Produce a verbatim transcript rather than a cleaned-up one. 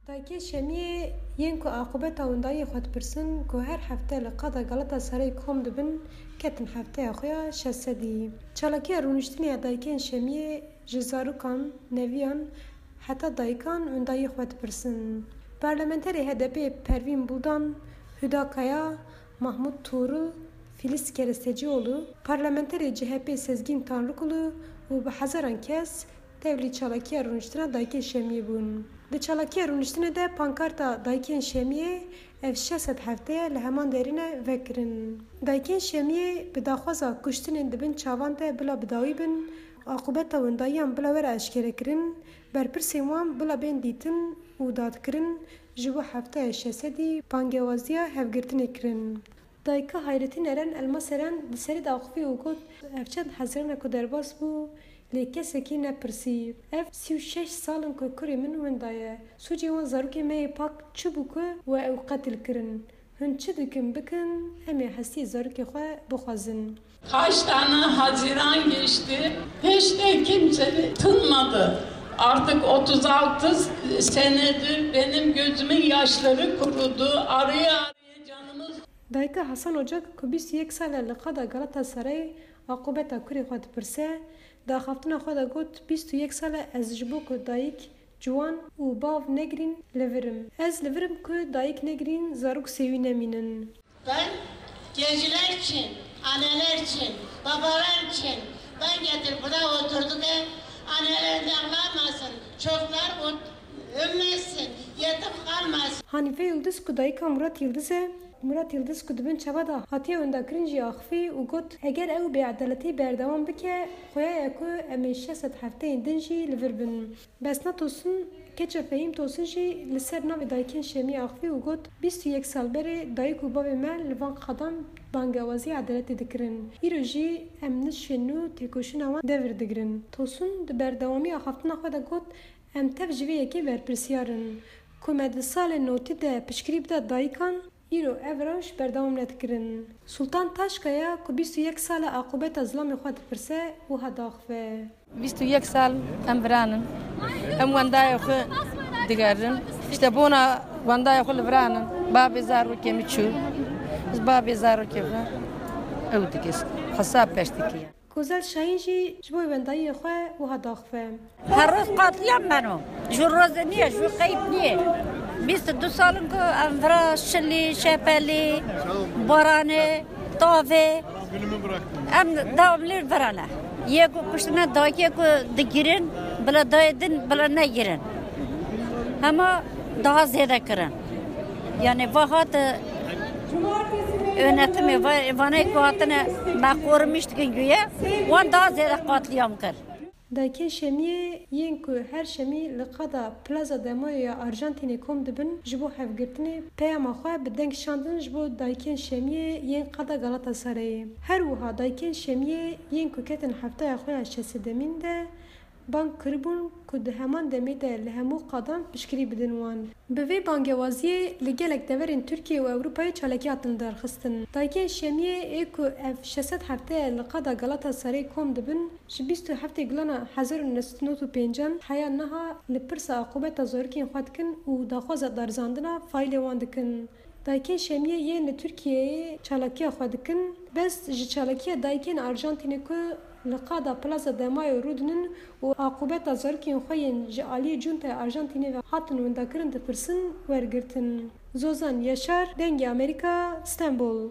Dayikên Şemiyê yên ku aqûbeta windayiyê xwe dipirsin, ku her hefte li qada Galatasarayê kom dibin, ketin hefteya xwe ya şeş sedî. Çalakiya rûniştinê ya Dayikên Şemiyê ji zarokan, neviyan heta dayikan windayiyê xwe dipirsin. Parlamenterê H D P'ê Pervîn Buldan, Huda Kaya, Mahmut Tuğrul, Filiz Kerestecioğlu, parlamenterê C H P Sezgin Tanrıkulu û bi hezaran kes tevlî çalakiya rûniştina Dayikên Şemiyê bûn. Di çalakiya rûniştinê de pankarta Dayikên Şemiyê, ev şeş sed hefte ye, li heman derî ne vekirin. Dayikên Şemiyê bi daxwaza kuştinên di bin çavan de bila bi dawî bin, aqûbeta windayiyan bila were eşkerekirin, berpirsên wan bila bên dîtin û dadkirin, ji bo hefteya şeş sedî bangewaziya hevgirtinê kirin. Dayika Hayretîn Eren Elmas Eren di serê de axivî û got, ev çend hezirana ku derbas bû, lê kesekî nepirsî. Ev sî û şeş sal in ku kurê min winda ye. Sûcê wan zarokê me yê pak çi bû ku we ew qetil kirin? Hûn çi dikin bikin, em ê hestiyê zarokê xwe bixwazin. Kaç tane Haziran geçti, hiç de kimse tınmadı. Artık otuz altı senedir benim gözümün yaşları kurudu. Arıya arıya canımız Dayika Hasan Ocak ku bîst û yek sal e li qada Galatasarayê aqûbeta kurê xwe dipirse, di axaftina xwe de got, bîst û yek sal e ez ji bo ku dayik, ciwan û bav negirîn li vir im. Ez li vir im ku dayik negirîn, zarok sêwî nemînin. Ben gençler için, anneler için, babalar için ben getir burada oturduk. Anneler de ağlamasın, çocuklar ut- ölmesin, yetim kalmasın. Hanife Yildiz ku dayika Murat Yildiz e, Murat Yildiz ku di bin çava de hatiye windakirin jî axivî û got, eger ew bêedaletî berdewam bike, xuya ye ku em ê şeş sed hefteyên din jî li vir bin. Besna Tosun, keça Fehîm Tosun jî li ser navê Dayikên Şemiyê axivî û got, bîst û yek sal berê dayik û bavê me li van qadan bangewazî edaletê dikirin. Îro jî em nişên nû têkoşîna wan devir digirin. Tosun di berdewamî axaftina xwe de got, em tev ji vê yekê berpirsiyar in. Ku me di salên notî de piştgirî bida dayikan, îro ev rewş berdewam nedikirin. Sultan Taşkaya ku bîst û yek sal e aqûbeta zilamê xwe dipirse, wiha diaxive. Bîst û yek sal em viran in. Em wendayê xwe digerin. Îşte bona wendayê xwe li viran in. Bavê zarokê min çû. Ez bavê zarokê xwe ew dikir. Hesab peş dikir. Gozel Şahîn jî ji bo wendayiyê xwe wiha diaxive. Her roz qatliyam beno. Ji roze niye, ji qeyb niye. Bîst û du sal in ku em vira şilî, şepelî, baranê, tavê. Em devamlı vira ne. Yê ku kuştine dayikê ku digirin, bila dayê din, bila negirin. Hema daha zêde kirin. Yani va hat, e, yönetimê, va-, vanê ku hatine me qorumîş dikin güye, wan daha zêde qatliyam kir. Dayikên Şemiyê yên ku her şemî li qada Plaza de Mayo ya Arjantînê kom dibin, ji bo hevgirtinê peyama xwe bi deng şandin ji bo dayikên Şemiyê yên qada Galatasarayê. Her wiha dayikên Şemiyê yên ku ketin hefteya xwe ya şeş sedemîn de bang kiribûn ku di heman demê de li hemû qadan piştgirî bidin wan. Bi vê bangewaziyê li gelek deverên Tirkiye û Ewropayê çalakî hatin lidarxistin. Dayikên Şemiyê ê ku ev şeş sed hefte ye li qada Galatasarayê kom dibin, ji bîst û heftê Gulana hezar û neh sed û nod û pêncan heya niha li pirsa aqûbeta zarokên xwe dikin û daxwaza darizandina faîlê wan dikin. Dayikên Şemiyê yên li Tirkiyeyê çalakiya xwe dikin, bes ji çalakiya dayikên Arjantînê ku li qada Plaza de Mayo rûdinin û aqûbeta zarokên xwe yên ji aliyê cuntaya Arjantînê ve hatin windakirin dipirsin, wergirtin. Zozan Yaşar, Dengê Amerîka, Stenbol.